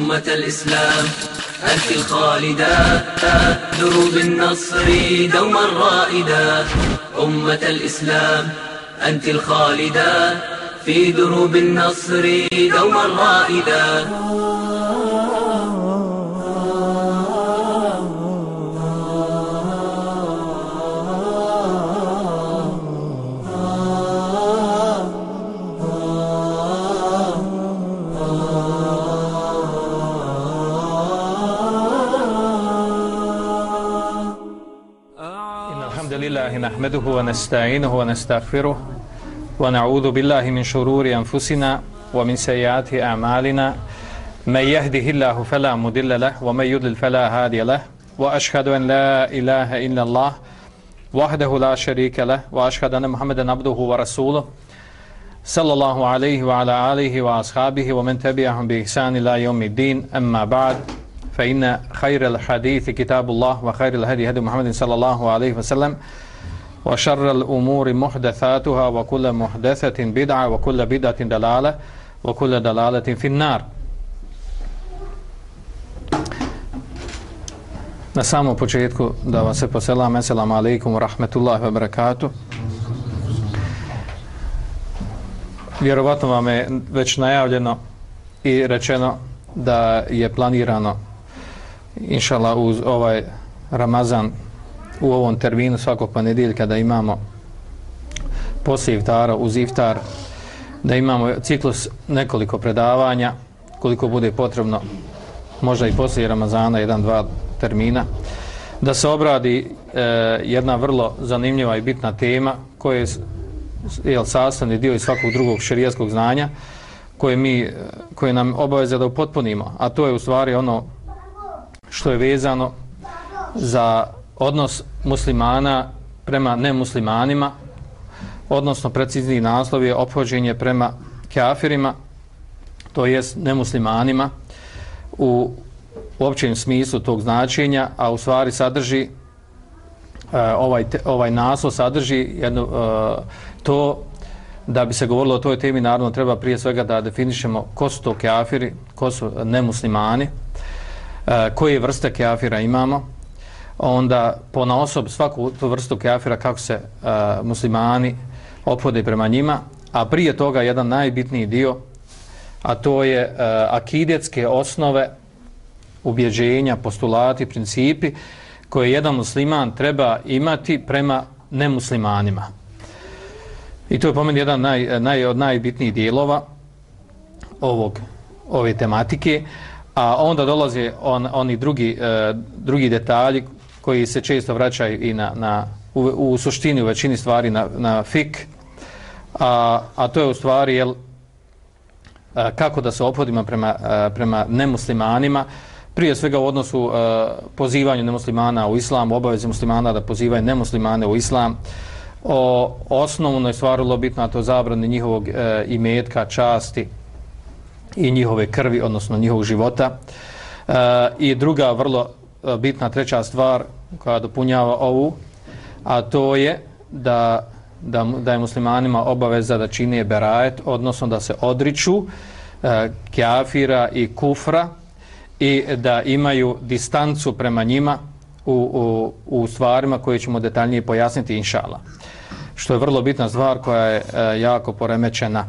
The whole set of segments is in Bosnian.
أمة الإسلام أنت الخالدة دروب النصر دوما رائدة. أمة الإسلام أنت الخالدة في دروب النصر دوما رائدة. نحمده ونستعينه ونستغفره ونعوذ بالله من شرور أنفسنا ومن سيئات أعمالنا من يهده الله فلا مضل له ومن يضلل فلا هادي له وأشهد أن لا إله إلا الله وحده لا شريك له وأشهد أن محمدا عبده ورسوله صلى الله عليه وعلى آله وأصحابه ومن تبعهم بإحسان إلى يوم الدين. أما بعد فإن خير الحديث كتاب الله وخير الهدي هدي محمد صلى الله عليه وسلم وشر الأمور محدثاتها وكل محدثة بدعة وكل بدعة دلالة وكل دلالة في النار. Na samom početku da vas se poselam, assalamu alaikum wa rahmatullahi wa barakatuh. Vjerovatno vam je već najavljeno i rečeno da je planirano inšallah uz ovaj Ramazan u ovom terminu svakog ponedjeljka da imamo poslije iftara uz iftar, da imamo ciklus nekoliko predavanja koliko bude potrebno, možda i poslije Ramazana 1-2 termina, da se obradi jedna vrlo zanimljiva i bitna tema koja je sastavni dio iz svakog drugog šerijatskog znanja koje nam obaveza da upotpunimo, a to je u stvari ono što je vezano za odnos muslimana prema nemuslimanima, odnosno precizniji naslov je ophođenje prema kafirima, to jest nemuslimanima u općem smislu tog značenja, a u stvari sadrži ovaj naslov sadrži jedno, to da bi se govorilo o toj temi, naravno treba prije svega da definišemo ko su to kafiri, ko su nemuslimani, koje vrste kafira imamo, onda ponaosob svaku tu vrstu kafira kako se muslimani ophode prema njima, a prije toga jedan najbitniji dio, a to je akidetske osnove, ubjeđenja, postulati, principi koje jedan musliman treba imati prema nemuslimanima. I to je po meni jedan od najbitnijih dijelova ove tematike, a onda dolaze oni drugi detalji koji se često vraćaju i u suštini u većini stvari na fik, a to je u stvari kako da se ophodimo prema nemuslimanima, prije svega u odnosu pozivanju nemuslimana u islam, obavezi muslimana da pozivaju nemuslimane u islam, o osnovnoj stvari vrlo bitno, a to je zabrani njihovog imetka, časti i njihove krvi, odnosno njihovog života. I druga vrlo bitna treća stvar koja dopunjava ovu, a to je da je muslimanima obaveza da čine berajet, odnosno da se odriču kafira i kufra i da imaju distancu prema njima u stvarima koje ćemo detaljnije pojasniti inšallah. Što je vrlo bitna stvar koja je jako poremećena.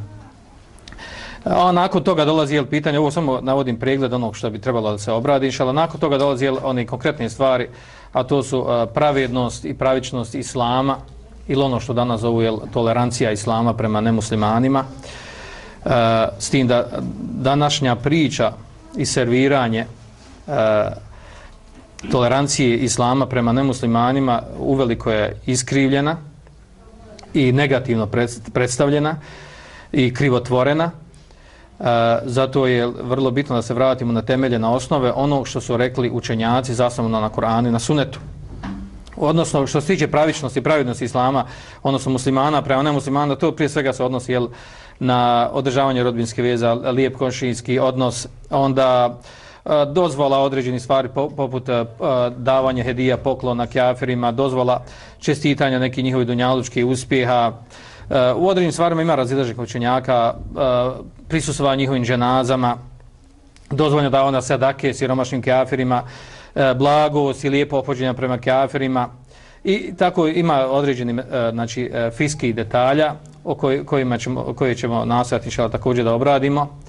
A nakon toga dolazi pitanje, ovo samo navodim pregled onog što bi trebalo da se obradi inšallah. Nakon toga dolazi one konkretne stvari, a to su pravednost i pravičnost islama ili ono što danas zovu tolerancija islama prema nemuslimanima. S tim da današnja priča i serviranje tolerancije islama prema nemuslimanima uveliko je iskrivljena i negativno predstavljena i krivotvorena. Zato je vrlo bitno da se vratimo na temelje, na osnove onog što su rekli učenjaci zasnovano na Kur'anu i na Sunnetu. Odnosno što se tiče pravičnosti i pravednosti islama, odnosno muslimana prema nemuslimana, to prije svega se odnosi na održavanje rodbinske veze, lijep komšijski odnos, onda dozvola određenih stvari poput davanja hedija, poklona kafirima, dozvola čestitanja nekih njihovih dunjalučkih uspjeha. U određenim stvarima ima razilaženih učenjaka, prisustvovanje njihovim dženazama, dozvoljeno da ona sadake siromašnim kafirima, blagost i lijepo ophođenje prema kafirima i tako ima određeni znači fiskih detalja koje ćemo nastojati također da obradimo.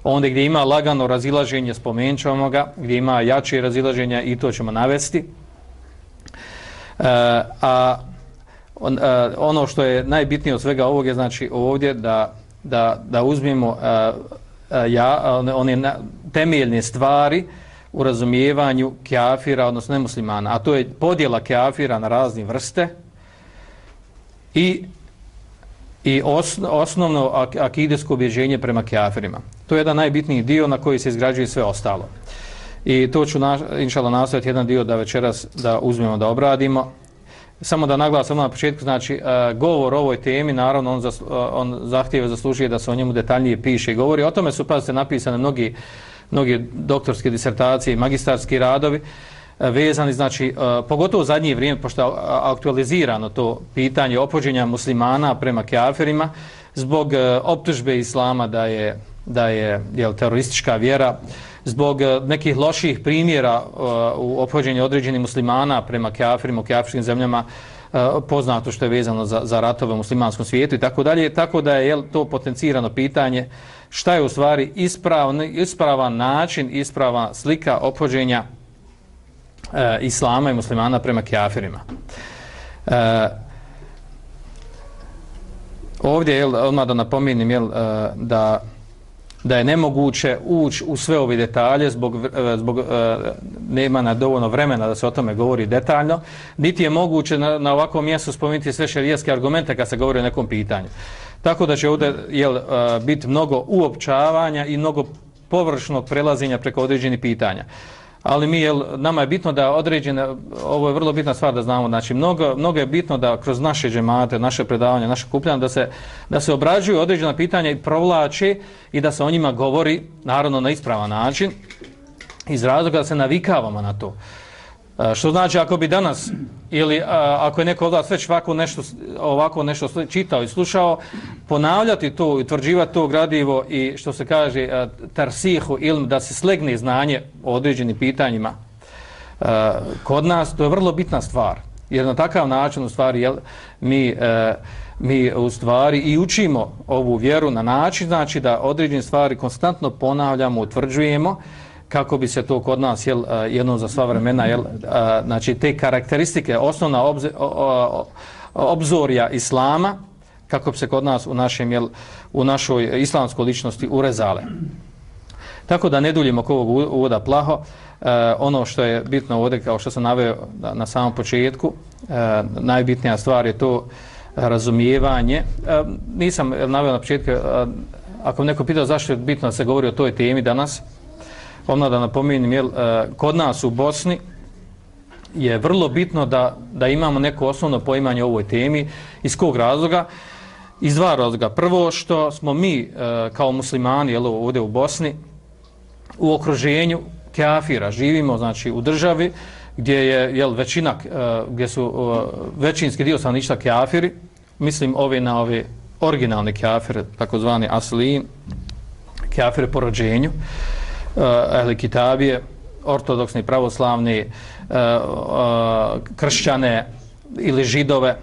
Onda gdje ima lagano razilaženje, spomenut ćemo ga, gdje ima jače razilaženja i to ćemo navesti. Ono što je najbitnije od svega ovog je znači ovdje da uzmemo one temeljne stvari u razumijevanju kafira, odnosno nemuslimana, a to je podjela kafira na razne vrste i osnovno akidesko ubjeđenje prema kafirima. To je jedan najbitniji dio na koji se izgrađuje sve ostalo. I to ću inšallah nastojati jedan dio da večeras da uzmemo da obradimo. Samo da naglasim na početku, znači govor o ovoj temi, naravno on zahtijeva, zaslužuje da se o njemu detaljnije piše i govori. O tome su pazite napisane mnogi doktorske disertacije i magistarski radovi vezani, znači pogotovo u zadnje vrijeme, pošto je aktualizirano to pitanje ophođenja muslimana prema kafirima zbog optužbe islama da je teroristička vjera, zbog nekih loših primjera u ophođenju određenih muslimana prema kafirima u kafirskim zemljama, poznato što je vezano za ratove u muslimanskom svijetu i tako dalje, tako da je to potencirano pitanje šta je u stvari ispravan način, isprava slika ophođenja islama i muslimana prema kafirima. Ovdje odmah da napomenem da je nemoguće ući u sve ove detalje zbog nema dovoljno vremena da se o tome govori detaljno, niti je moguće na ovakvom mjestu spomenuti sve šerijatske argumente kad se govori o nekom pitanju. Tako da će ovdje biti mnogo uopćavanja i mnogo površnog prelaženja preko određenih pitanja. Ali nama je bitno da određene, ovo je vrlo bitna stvar da znamo, znači mnogo je bitno da kroz naše džemate, naše predavanja, naše kupljanje, da se obrađuju određena pitanja i provlače i da se o njima govori, naravno na ispravan način, iz razloga da se navikavamo na to. Što znači ako bi danas ili ako je neko od vas već ovako nešto čitao i slušao, ponavljati to, utvrđivati to gradivo i što se kaže tarsihu ilm, da se slegne znanje o određenim pitanjima kod nas, to je vrlo bitna stvar. Jer na takav način u stvari mi u stvari i učimo ovu vjeru na način znači da određene stvari konstantno ponavljamo, utvrđujemo kako bi se to kod nas jednom za sva vremena znači te karakteristike, osnovna obzorja islama, kako bi se kod nas u našoj islamskoj ličnosti urezale. Tako da ne duljimo oko ovog uvoda plaho, ono što je bitno ovdje, kao što sam naveo na samom početku, najbitnija stvar je to razumijevanje. Nisam naveo na početku, ako neko pitao zašto je bitno da se govori o toj temi danas, odmah da napomenem, kod nas u Bosni je vrlo bitno da imamo neko osnovno poimanje o ovoj temi. Iz kog razloga? Iz dva razloga. Prvo što smo mi kao muslimani ovdje u Bosni u okruženju kafira, živimo znači u državi gdje je većina, gdje su većinski dio stanovništva kafiri, mislim na ove originalne kafire, takozvani aslijin, kafire po rođenju, ehli kitabije, ortodoksni, pravoslavni, kršćane ili židove.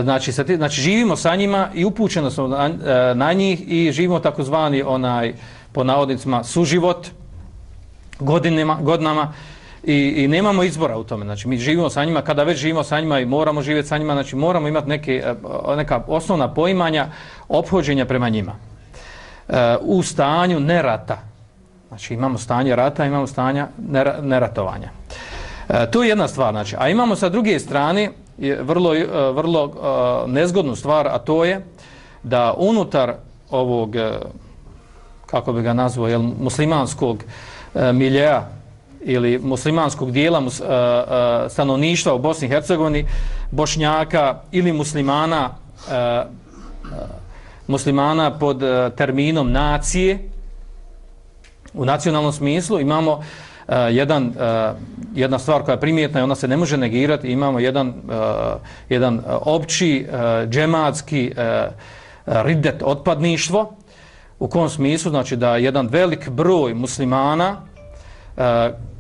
Znači živimo sa njima i upućeno smo na njih i živimo takozvani po navodnicima suživot godinama i nemamo izbora u tome. Znači mi živimo sa njima, kada već živimo sa njima i moramo živjeti sa njima, znači moramo imati neka osnovna poimanja ophođenja prema njima. U stanju nerata. Znači imamo stanje rata, imamo stanja neratovanja. To je jedna stvar, znači. A imamo sa druge strane vrlo nezgodnu stvar, a to je da unutar ovog, kako bi ga nazvao, muslimanskog miljea ili muslimanskog dijela stanovništva u Bosni i Hercegovini, Bošnjaka ili muslimana pod terminom nacije, u nacionalnom smislu imamo jedna stvar koja je primjetna i ona se ne može negirati, imamo jedan opći džematski ridet, otpadništvo U kom smislu? Znači da jedan velik broj muslimana,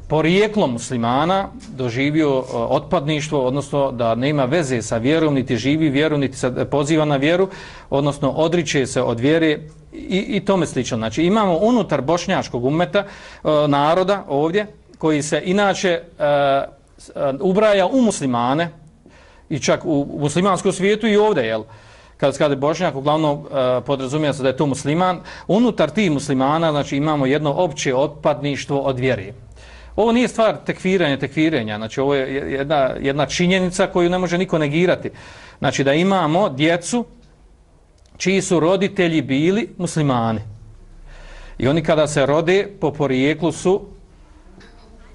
porijeklom muslimana, doživio otpadništvo, odnosno da nema veze sa vjerom, niti živi vjeru, niti se poziva na vjeru, odnosno odriče se od vjere i tome slično. Znači imamo unutar bošnjačkog ummeta, naroda ovdje, koji se inače ubraja u muslimane i čak u muslimanskom svijetu i ovdje, jel? Kada je Bošnjak, uglavnom podrazumijeva se da je to musliman, unutar tih muslimana znači imamo jedno opće otpadništvo od vjere. Ovo nije stvar tekfirenja, znači ovo je jedna činjenica koju ne može niko negirati. Znači da imamo djecu čiji su roditelji bili muslimani. I oni kada se rode po porijeklu su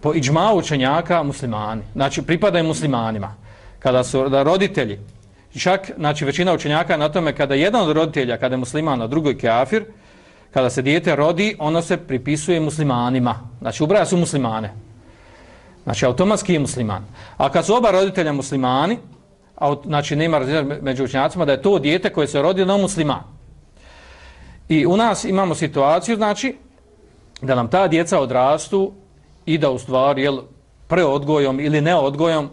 po iđmau učenjaka muslimani. Znači pripadaju muslimanima. Kada su roditelji, čak znači većina učenjaka na tome kada jedan od roditelja, kada je musliman, a drugi kafir, kada se dijete rodi, ono se pripisuje muslimanima. Znači ubraja su muslimane. Znači automatski je musliman. A kad su oba roditelja muslimani, znači nema razlika među učenjacima da je to dijete koje se rodi na musliman. I u nas imamo situaciju, znači, da nam ta djeca odrastu i da u stvari, jel, preodgojom ili neodgojom,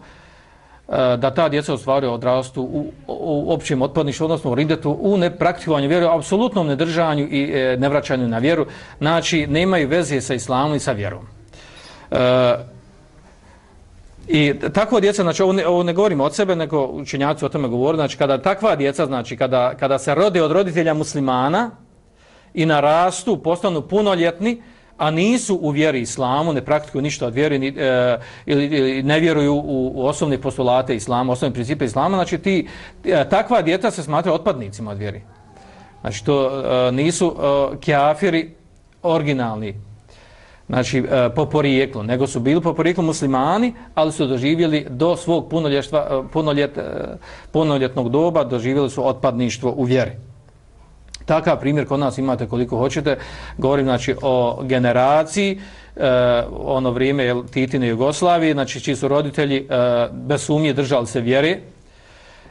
da ta djeca u stvari odrastu u općem otpadništvu, odnosno u ridetu, u nepraktikovanju vjeru, apsolutnom nedržanju i nevraćanju na vjeru. Znači, nemaju veze sa islamom i sa vjerom. I takva djeca, znači ovo ne govorimo od sebe, nego učenjaci o tome govore, znači kada takva djeca, znači kada se rode od roditelja muslimana i narastu, postanu punoljetni, a nisu u vjeri islamu, ne praktikuju ništa od vjeri ili ne vjeruju u osnovne postulate islama, osnovne principe islama, znači takva djeca se smatraju otpadnicima od vjeri. Znači to nisu kafiri originalni, znači po porijeklu, nego su bili po porijeklu muslimani, ali su doživjeli do svog punoljetnog doba, doživjeli su otpadništvo u vjeri. Takav primjer kod nas imate koliko hoćete. Govorim znači o generaciji, ono vrijeme Titine Jugoslavije, znači čiji su roditelji bez sumnje držali se vjere.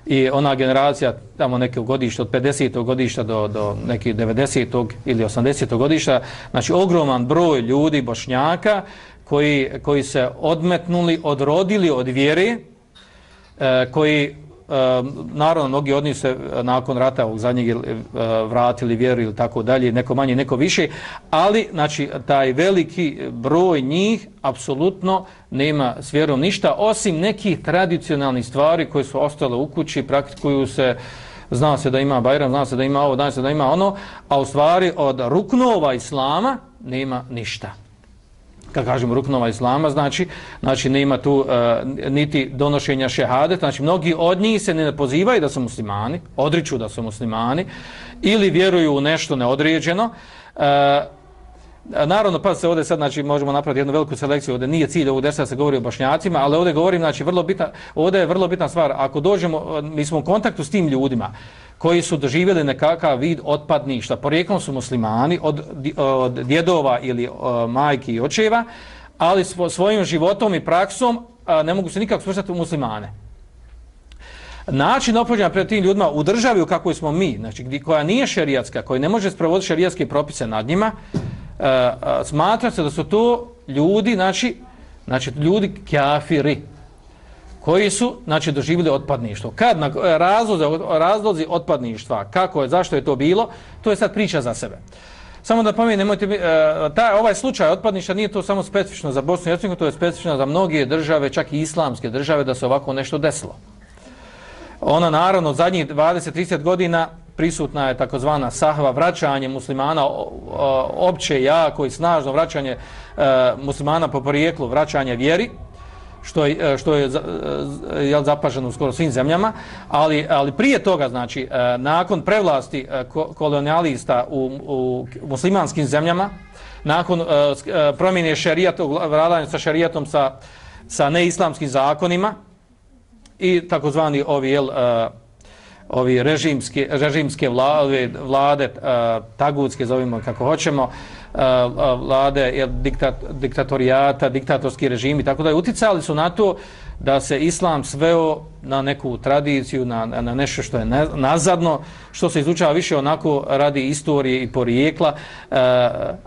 I ona generacija, tamo neke godišta, od 50. godišta do nekih 90. ili 80. godišta, znači ogroman broj ljudi, Bošnjaka, koji se odmetnuli, odrodili od vjere, koji, naravno, mnogi od njih se nakon rata ovog zadnjeg vratili vjeru ili tako dalje, neko manje, neko više, ali znači taj veliki broj njih apsolutno nema s vjerom ništa, osim nekih tradicionalnih stvari koje su ostale u kući, praktikuju se, zna se da ima Bajram, zna se da ima ovo, zna se da ima ono, a u stvari od ruknova islama nema ništa. Kad kažemo ruknova islama, znači nema tu niti donošenja šehadeta, znači mnogi od njih se ne pozivaju da su muslimani, odriču da su muslimani, ili vjeruju u nešto neodređeno. Naravno, pa se ovdje sad, znači, možemo napraviti jednu veliku selekciju, ovdje nije cilj ovdje da se govori o Bošnjacima, ali ovdje govorim, znači, ovdje je vrlo bitna stvar, ako dođemo, mi smo u kontaktu s tim ljudima, koji su doživjeli nekakav vid otpadništa, porijeklom su muslimani od djedova ili majki i očeva, ali svojim životom i praksom ne mogu se nikako svrstati u muslimane. Način ophođenja pred tim ljudima u državi u kakvoj smo mi, znači koja nije šerijatska, koja ne može sprovoditi šerijatske propise nad njima, smatra se da su to ljudi, znači ljudi kafiri, koji su, znači, doživjeli otpadništvo. Kad na razlozi otpadništva, kako je, zašto je to bilo, to je sad priča za sebe. Samo da pomijem, nemojte, ovaj slučaj otpadništva nije to samo specifično za Bosnu i Hercegovinu, to je specifično za mnoge države, čak i islamske države, da se ovako nešto desilo. Ona, naravno, zadnjih 20-30 godina prisutna je takozvana sahva, vraćanje muslimana, opće, jako i snažno vraćanje muslimana po porijeklu, vraćanje vjeri, što je zapaženo u skoro svim zemljama, ali prije toga, znači, nakon prevlasti kolonijalista u muslimanskim zemljama, nakon promjene šerijata, vladanja sa šerijatom sa neislamskim zakonima i takozvani ovi režimske vlade, tagutske, zovimo kako hoćemo, vlade, diktatorijata, diktatorski režimi, tako da je uticali su na to da se islam sveo na neku tradiciju, na nešto što je nazadno, što se izučava više onako radi istorije i porijekla,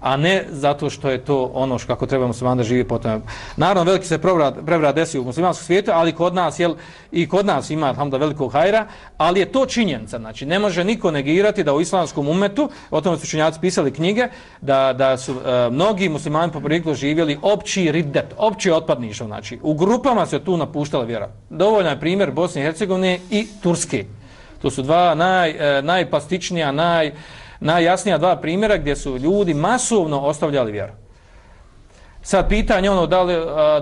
a ne zato što je to ono kako treba musliman da živi potom. Naravno, veliki se prevrat desi u muslimanskom svijetu, ali kod nas, i kod nas ima alhamdulillah velikog hajra, ali je to činjenica. Znači, ne može niko negirati da u islamskom umetu, o tome su učenjaci pisali knjige, da su mnogi muslimani po porijeklu živjeli opći riddet, opći otpadništvo. Znači, u grupama se tu napuštala vjera. Dovoljan je primjer Bosne i Hercegovine i Turske. To su dva najplastičnija, najjasnija dva primjera gdje su ljudi masovno ostavljali vjeru. Sad pitanje ono da li,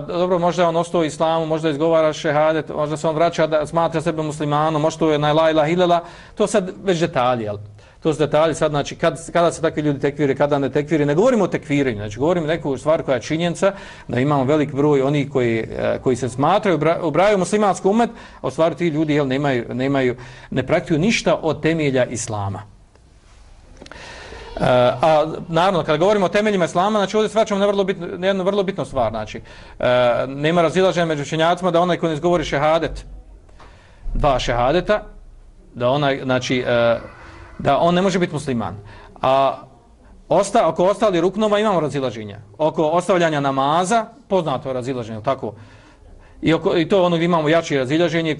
dobro, možda on ostao u islamu, možda izgovara šehadet, možda se on vraća da smatra sebe muslimanom, možda to je na la ilaha illallah, to sad već detalji, jel? To su detalji sad, znači, kada se takvi ljudi tekvire, kada ne tekvire, ne govorimo o tekvirenju, znači, govorimo neku stvar koja je činjenica, da imamo velik broj onih koji se smatraju, ubrajaju muslimanski umet, a u stvari ti ljudi, jel, ne praktikuju ništa od temelja islama. A naravno, kada govorimo o temeljima islama, znači ovdje svačamo na jednu vrlo bitnu stvar, znači, nema razilaženja među učenjacima da onaj ko ne izgovori šehadet, dva šehadeta, da onaj, znači, da on ne može biti musliman. A oko ostali ruknova imamo razilaženja. Oko ostavljanja namaza, poznato je razilaženje, tako? I to ono gdje imamo jače razilaženje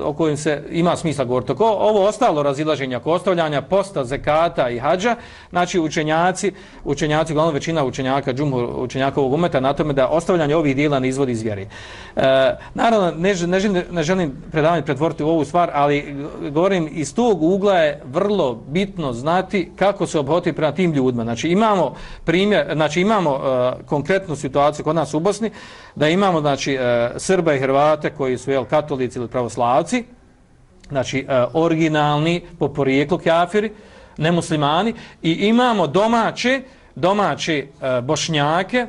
o kojem se ima smisla govoriti. Ovo ostalo razilaženje oko ostavljanja posta, zekata i hadža, znači učenjaci, glavno većina učenjaka ovog umeta na tome da ostavljanje ovih dijela ne izvodi iz vjere. Naravno, ne želim predavanje pretvoriti u ovu stvar, ali govorim, iz tog ugla je vrlo bitno znati kako se obhoditi prema tim ljudima. Znači imamo primjer, znači imamo konkretnu situaciju kod nas u Bosni, da imamo, znači, Srba i Hrvate koji su, jel, katolici ili pravoslavci, znači originalni po porijeklu kafiri, nemuslimani, i imamo domaće Bošnjake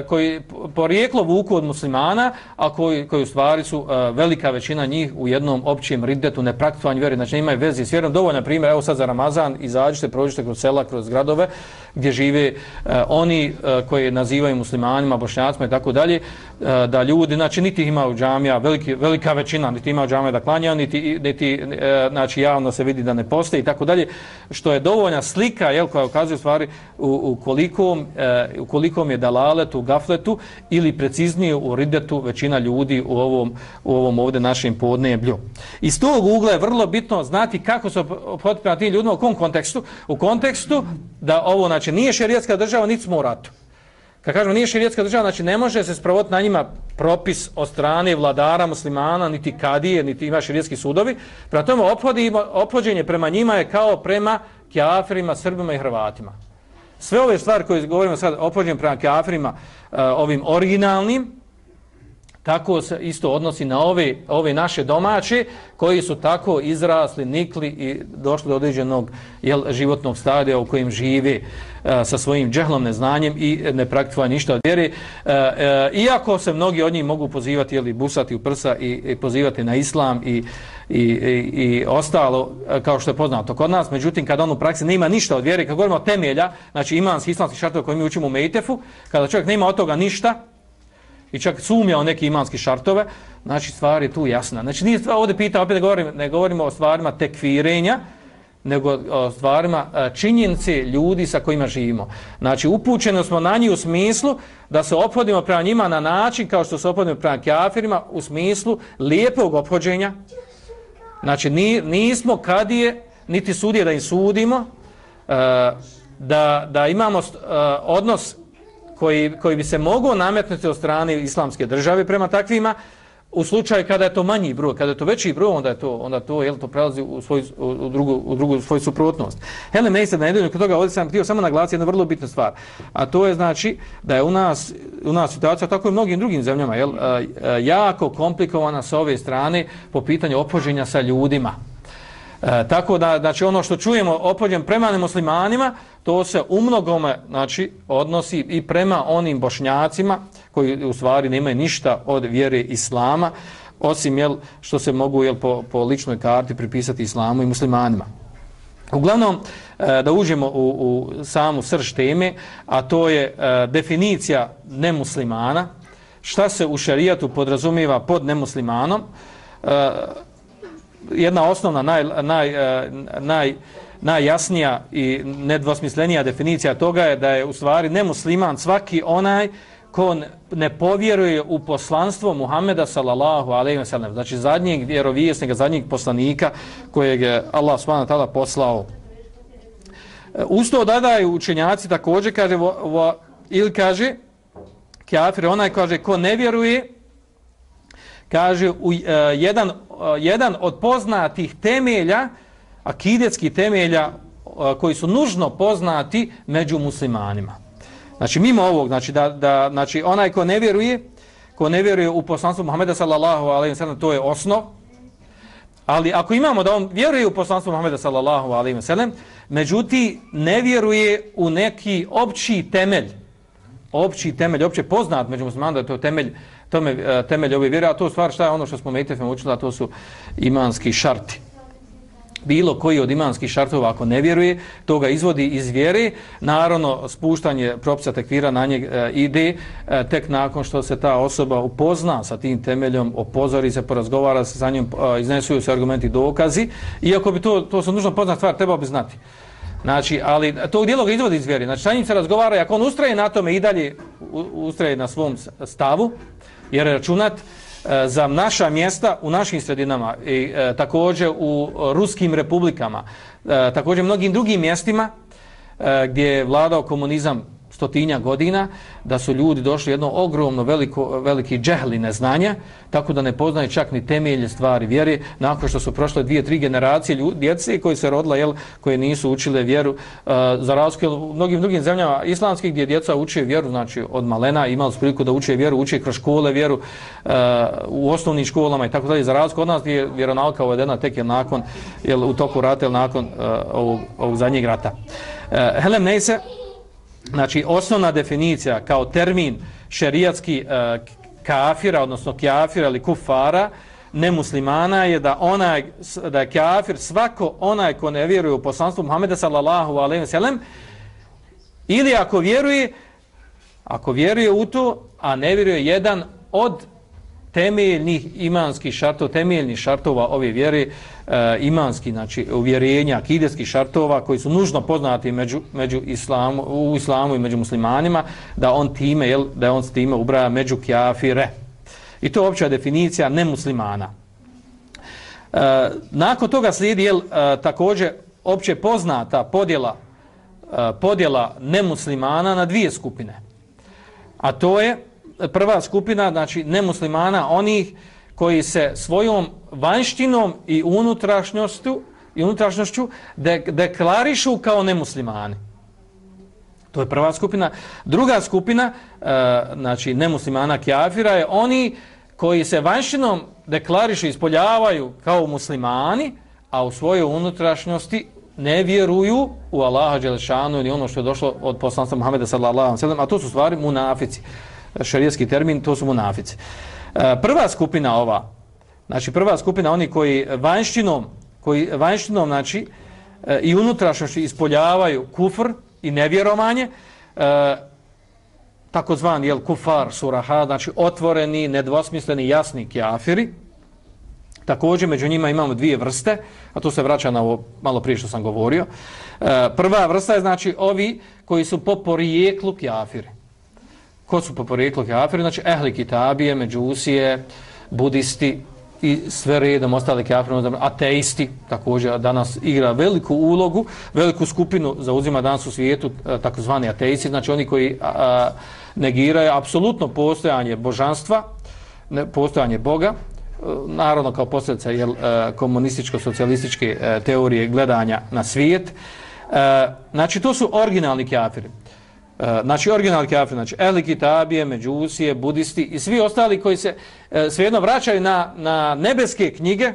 koji porijeklo vuku od muslimana, a koji u stvari su velika većina njih u jednom općem riddetu, nepraktikovanju vjere, znači imaju veze s vjerom. Dovoljno primjer, evo sad za Ramazan, izađite, prođite kroz sela, kroz gradove gdje žive oni koji nazivaju muslimanima, Bošnjacima i tako dalje, da ljudi, znači niti ima u džamija, velika većina, niti ima u džamija da klanjaju, niti znači javno se vidi da ne postoji i tako dalje, što je dovoljna slika, jel, koja ukazuje u stvari u kolikom je dalaletu, gafletu ili preciznije u riddetu većina ljudi u ovom ovdje našem podneblju. Iz tog ugla je vrlo bitno znati kako se ophoditi prema tim ljudima, u kom kontekstu? U kontekstu da ovo, znači, nije šerijatska država, niti smo u ratu. Kad kažemo nije šerijatska država, znači ne može se sprovoditi na njima propis od strane vladara muslimana, niti kadije, niti ima šerijatski sudovi. Prema tome ophođenje prema njima je kao prema kafirima, Srbima i Hrvatima. Sve ove stvari koje govorimo sad, ophođenje prema kafirima, ovim originalnim, tako se isto odnosi na ove naše domaće koji su tako izrasli, nikli i došli do određenog, jel, životnog stadija u kojem žive sa svojim džehlom, neznanjem i ne praktikuje ništa od vjere. Iako se mnogi od njih mogu pozivati, jel, busati u prsa i pozivati na islam i ostalo, kao što je poznato kod nas, međutim kada on u praksi nema ništa od vjere, kad govorimo o temelja, znači imanski islamski šartova koje mi učimo u Mejtefu, kada čovjek nema od toga ništa i čak sumnja o neke imanske šartove, znači stvar je tu jasna. Znači nije stvar, ovdje pitam, opet ne govorimo o stvarima tekfirenja, nego o stvarima činjenice ljudi sa kojima živimo. Znači upućeni smo na njih u smislu da se ophodimo prema njima na način kao što se ophodimo prema kafirima, u smislu lijepog ophođenja. Znači nismo kadije, niti sudije da im sudimo, da imamo odnos koji bi se mogao nametnuti od strane islamske države prema takvima, u slučaju kada je to manji broj, kada je to veći broj, onda to, jel, to prelazi u drugu svoju suprotnost. Helen Neisad, na nedelju kod toga, ovdje sam htio samo naglasiti jednu vrlo bitnu stvar, a to je, znači, da je u nas situacija, tako i u mnogim drugim zemljama, jel, jako komplikovana sa ove strane po pitanju ophođenja sa ljudima. Tako da, znači, ono što čujemo ophođen prema nemuslimanima, to se umnogome, znači, odnosi i prema onim Bošnjacima koji u stvari nemaju ništa od vjere islama, osim, jel, što se mogu, jel, po ličnoj karti pripisati islamu i muslimanima. Uglavnom, da uđemo u samu srž teme, a to je definicija nemuslimana, šta se u šerijatu podrazumijeva pod nemuslimanom. Jedna osnovna, najjasnija i nedvosmislenija definicija toga je da je u stvari nemusliman svaki onaj ko ne povjeruje u poslanstvo Muhameda sallallahu alejhi ve sellem, znači zadnjeg vjerovjesnika, zadnjeg poslanika kojeg je Allah subhanahu wa ta'ala poslao. Uz to dodaju učenjaci također kaže ili kaže kafir onaj kaže ko ne vjeruje, kaže jedan od poznatih temelja, akidetskih temelja koji su nužno poznati među muslimanima. Znači mimo ovog, znači onaj ko ne vjeruje u poslanstvo Muhameda sallallahu alejhi ve sellem, to je osnov. Ali ako imamo da on vjeruje u poslanstvo Muhameda sallallahu alejhi ve sellem, međutim ne vjeruje u neki opći temelj, opće poznat među muslimanima da je to temelj ove vjere, a to stvar šta je ono što smo metefem učili, a to su imanski šarti. Bilo koji od imanskih šartova ako ne vjeruje, to ga izvodi iz vjere. Naravno, spuštanje propisa tekvira na njeg ide tek nakon što se ta osoba upozna sa tim temeljom, opozori se, porazgovara se sa njim, iznesuju se argumenti, dokazi. Iako bi to su nužno poznat stvar, trebao bi znati. Znači, ali tog dijela ga izvodi iz vjere. Znači, sa njim se razgovara i ako on ustraje na tome i dalje ustraje na svom stavu, jer računat za naša mjesta u našim sredinama i također u ruskim republikama, također mnogim drugim mjestima gdje je vladao komunizam 100 godina, da su ljudi došli jedno ogromno veliki džehli neznanja, tako da ne poznaju čak ni temelje stvari vjere, nakon što su prošle 2-3 generacije djece koji se rodila, koje nisu učile vjeru, za razliku u mnogim drugim zemljama islamskih gdje djeca uče vjeru, znači od malena imali su priliku da uče vjeru, uče kroz škole vjeru, u osnovnim školama i tako dalje, za razliku od nas gdje je vjeronauka uvedena tek nakon, u toku rata ili nakon ovog zadnjeg rata. Helem Neise, znači osnovna definicija kao termin šerijatski kafira, odnosno kafira ili kufara, nemuslimana je da je kafir svako onaj ko ne vjeruje u poslanstvo Muhameda sallallahu alejhi ve sellem, ili ako vjeruje u to, a ne vjeruje jedan od temeljnih imanskih šartova, temeljnih šartova ove vjere, imanski, znači uvjerenja, akideskih šartova koji su nužno poznati u islamu i među muslimanima, da on s time ubraja među kafire. I to je opća definicija nemuslimana. Nakon toga slijedi također opće poznata podjela nemuslimana na dvije skupine. A to je prva skupina, znači nemuslimana, onih koji se svojom vanjštinom i unutrašnjošću deklarišu kao nemuslimani. To je prva skupina. Druga skupina, znači nemuslimana kafira, je oni koji se vanjštinom deklarišu, ispoljavaju kao muslimani, a u svojoj unutrašnjosti ne vjeruju u Allaha dželešanu ili ono što je došlo od poslanstva Muhameda sallallahu alejhi ve sellem, a to su stvari munafici. Šerijatski termin, to su munafici. Prva skupina oni koji vanjštinom znači i unutrašnjošću ispoljavaju kufr i nevjerovanje, takozvani kufar suraha, znači otvoreni, nedvosmisleni, jasni kafiri. Također među njima imamo dvije vrste, a to se vraća na ovo malo prije što sam govorio. Prva vrsta je znači ovi koji su po porijeklu kafiri. Ko su po porijeklu kafiri? Znači ehli kitabije, međusije, budisti i sve redom ostali kafiri, ateisti, također danas igra veliku ulogu, veliku skupinu zauzima danas u svijetu takozvani ateisti, znači oni koji negiraju apsolutno postojanje božanstva, postojanje Boga, naravno kao posljedica komunističko-socijalističke teorije gledanja na svijet. Znači to su originalni kafiri. Znači originalni kafiri, znači ehli kitabije, međusije, budisti i svi ostali koji se svejedno vraćaju na nebeske knjige,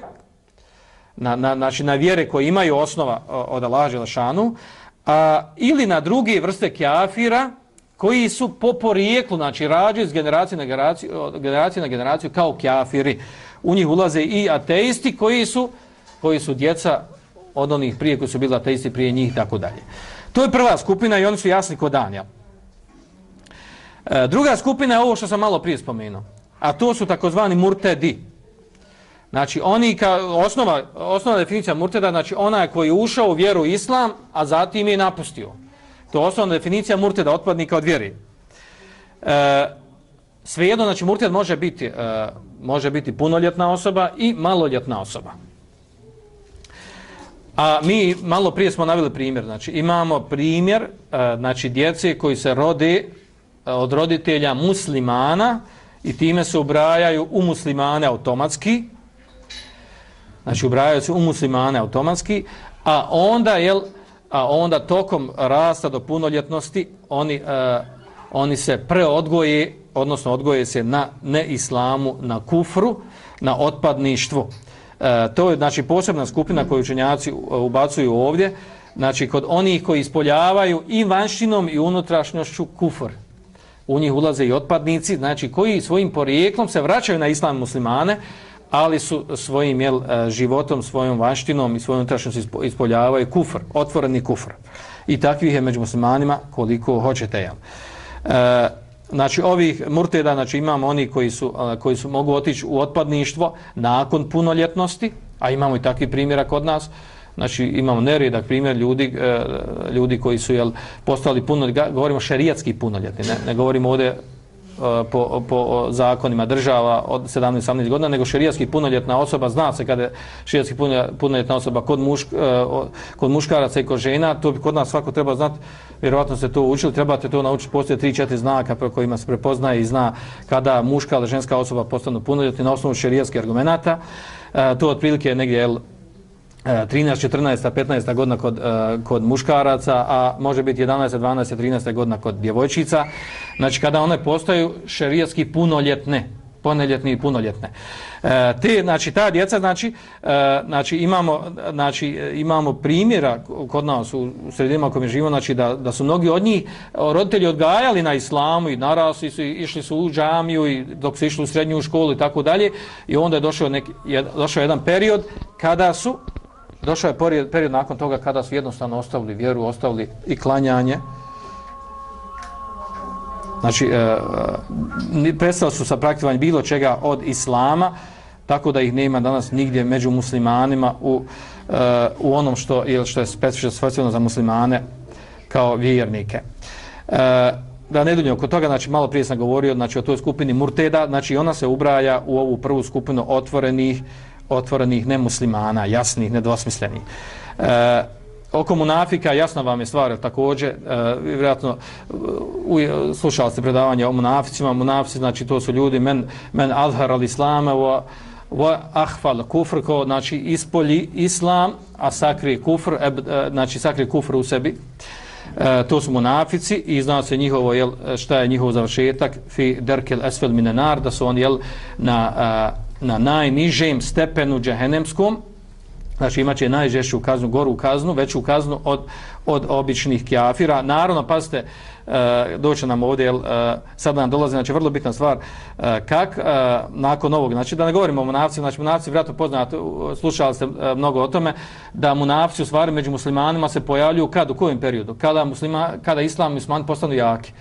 znači na vjere koje imaju osnova od Allaha dželešanu, ili na druge vrste kafira koji su po porijeklu, znači rađaju iz generacije na generaciju kao kafiri. U njih ulaze i ateisti koji su djeca od onih prije koji su bili ateisti prije njih i tako dalje. To je prva skupina i oni su jasni ko dan. Ja. Druga skupina je ovo što sam malo prije spomenuo, a to su takozvani murtedi. Znači, oni osnova definicija murteda, znači onaj koji je ušao u vjeru islam, a zatim je napustio. To je osnovna definicija murteda, otpadnika od vjere. Svejedno, znači murted može biti punoljetna osoba i maloljetna osoba. A mi malo prije smo naveli primjer, znači imamo primjer znači djece koji se rode od roditelja muslimana i time se ubrajaju u muslimane automatski. Znači ubrajaju se u muslimane automatski, a onda tokom rasta do punoljetnosti oni se preodgoje, odnosno odgoje se na neislamu, na kufru, na otpadništvu. To je znači posebna skupina koju učenjaci ubacuju ovdje, znači kod onih koji ispoljavaju i vanštinom i unutrašnjošću kufr. U njih ulaze i otpadnici, znači koji svojim porijeklom se vraćaju na islam muslimane, ali su svojim životom, svojom vanštinom i svojom unutrašnjošću ispoljavaju kufr, otvoreni kufr. I takvih je među muslimanima koliko hoćete. Znači ovih murteda, znači imamo oni koji su mogu otići u otpadništvo nakon punoljetnosti, a imamo i takvi primjera kod nas. Znači imamo neredak primjer ljudi koji su postali punoljetni, govorimo šerijatski punoljetni, ne govorimo ovdje po zakonima država od 17-18 godina, nego šerijatski punoljetna osoba, zna se kada je šerijatski punoljetna osoba kod muškaraca i kod žena, to bi kod nas svako treba znati, vjerovatno ste to učili, trebate to naučiti, postoje 3-4 znaka po kojima se prepoznaje i zna kada muška ili ženska osoba postanu punoljetni na osnovu šerijatskih argumenata. To otprilike je negdje 13, 14, 15 godina kod muškaraca, a može biti 11, 12, 13 godina kod djevojčica. Znači kada one postaju šerijatski punoljetne, punoljetni i punoljetne. Znači ta djeca, imamo primjera kod nas u sredinama u kojima živimo, znači da su mnogi od njih roditelji odgajali na islamu i narasli su, išli su u džamiju i dok su išli u srednju školu i tako dalje, i onda je došao jedan period kada su došao je period nakon toga kada su jednostavno ostavili vjeru, ostavili i klanjanje. Znači, prestali su sa praktikovanjem bilo čega od islama, tako da ih nema danas nigdje među muslimanima u onom što je specifično za muslimane kao vjernike. Da ne duljim oko toga, znači malo prije sam govorio znači o toj skupini murteda, znači ona se ubraja u ovu prvu skupinu otvorenih nemuslimana, jasnih, nedvosmislenih. Oko munafika, jasno vam je stvar, također, vjerojatno slušali ste predavanje o munaficima. Munafici, znači to su ljudi men azhar al-islama wa ahfal kufr, znači ispolji islam, a sakri kufr, znači sakri kufr u sebi. To su munafici i zna se njihovo, šta je njihov završetak, fi derkel esfel minenar, da su oni na najnižem stepenu džehennemskom, znači imaće najžešću kaznu, goru kaznu, veću kaznu od običnih kafira. Naravno, pazite, doće nam ovdje, sad nam dolazi, znači vrlo bitna stvar, nakon ovog, znači da ne govorimo o munafcima, znači munafci vjerojatno poznate, slušali ste mnogo o tome, da munafci u stvari među muslimanima se pojavljuju u kojem periodu? Kada islam i muslimani postanu jaki.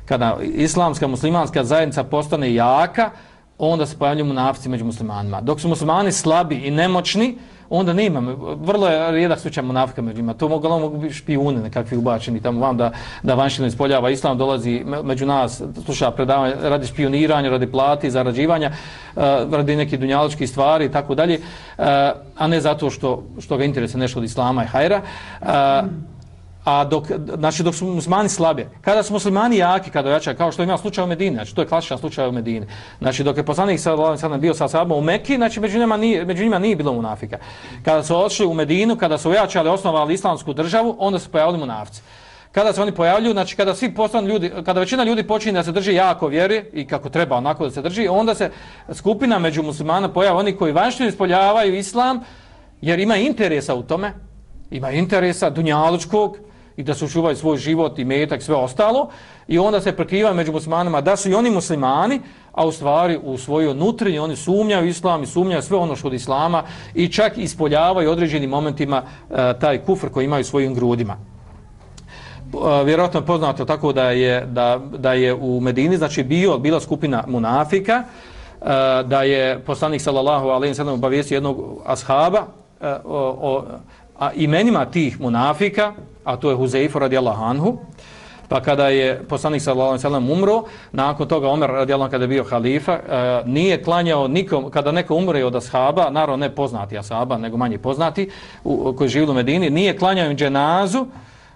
Kada islamska muslimanska zajednica postane jaka, onda se pojavljuju munafci među muslimanima. Dok su muslimani slabi i nemoćni, onda nema. Vrlo je rijedak slučaj munafika među njima. To mogu biti špijuni nekakvi ubačeni tamo vam da vanštino ispoljava islam, dolazi među nas, sluša predavanje radi špioniranja, radi plati, zarađivanja, radi nekih dunjaličkih stvari i tako dalje, a ne zato što ga interese nešto od islama i hajra. A dok su muslimani slabi, kada su muslimani jaki, kada jačaju, kao što ima slučaj u Medini, znači to je klasičan slučaj u Medini. Znači dok je poslanik sallallahu bio sa sahabom u Mekki, znači među njima nije bilo munafika. Kada su otišli u Medinu, kada su ojačali, osnovali islamsku državu, onda su pojavili munafci. Kada se oni pojavljuju, znači kada svi postanu ljudi, kada većina ljudi počinje da se drži jako vjeri i kako treba onako da se drži, onda se skupina među muslimana pojavlja oni koji vanjštino ispoljavaju islam, jer ima interesa u tome, ima interesa dunjalučkog, i da se učuvaju svoj život i metak, sve ostalo, i onda se prekrivaju među muslimanima da su i oni muslimani, a u stvari u svojoj nutrini oni sumnjaju islam i sumnjaju sve ono što od islama i čak ispoljavaju određenim momentima taj kufr koji imaju svojim grudima. vjerojatno je poznato tako da je u Medini znači bila skupina munafika, da je poslanik sallallahu alejhi ve sellem obavijestio jednog ashaba o imenima tih munafika, a to je Huzeifa radijallahu anhu. Pa kada je poslanik sallallahu alejhi ve sellem umro, nakon toga Omer radijallahu anhu kada je bio halifa, nije klanjao nikom, kada neko umre od ashaba, naravno ne poznati ashaba, nego manje poznati, koji žive u Medini, nije klanjao im dženazu.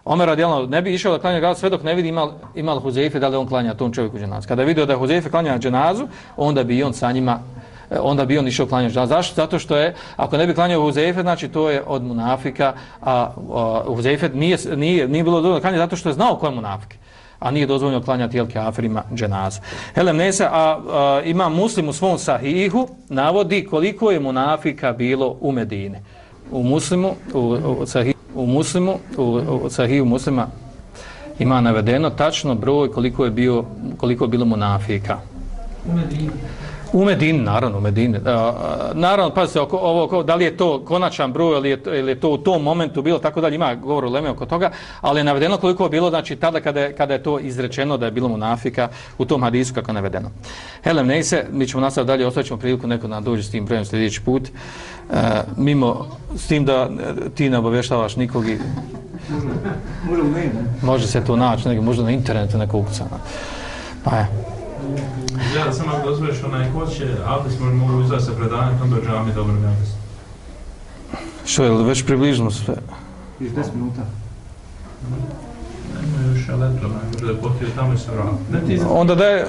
Omer radijallahu anhu ne bi išao da klanja sve dok ne vidi imal Huzeife da li on klanja tom čovjeku dženazu. Kada je vidio da je Huzeife klanja dženazu, onda bi on sa njima išao klanjati dženazu. Zašto? Zato što je, ako ne bi klanjao Huzeife, znači to je od munafika, a Huzeife nije bilo dozvoljeno klanjati zato što je znao ko je munafik, a nije dozvoljeno klanjati kafirima dženazu. Helem Nesa, ima Muslim u svom sahihu, navodi koliko je munafika bilo u Medini. U Muslimu, u sahihu Muslima ima navedeno tačno broj koliko je bilo munafika. U Medini, naravno, u Medini. Naravno, pazite, da li je to konačan broj ili je to u tom momentu bilo, tako dalje, ima govor uleme oko toga, ali je navedeno koliko je bilo, znači tada kada je to izrečeno da je bilo munafika u tom hadisu kako je navedeno. Helem Nejse, mi ćemo nastaviti dalje, ostavit ćemo priliku neko da dođe s tim brojem sljedeći put. Mimo, s tim da ti ne obavještavaš nikog i... Može se to naći, možda na internetu neko ukucano. Pa je. Ja sam ako dozvoriš ko će abdest mogu uzeti sa predanjem, onda je džami dobro mi abdest. Što je, već približno sve? Još 10 minuta. Nema još elektro, da je potio tamo i se vrati. Onda da je...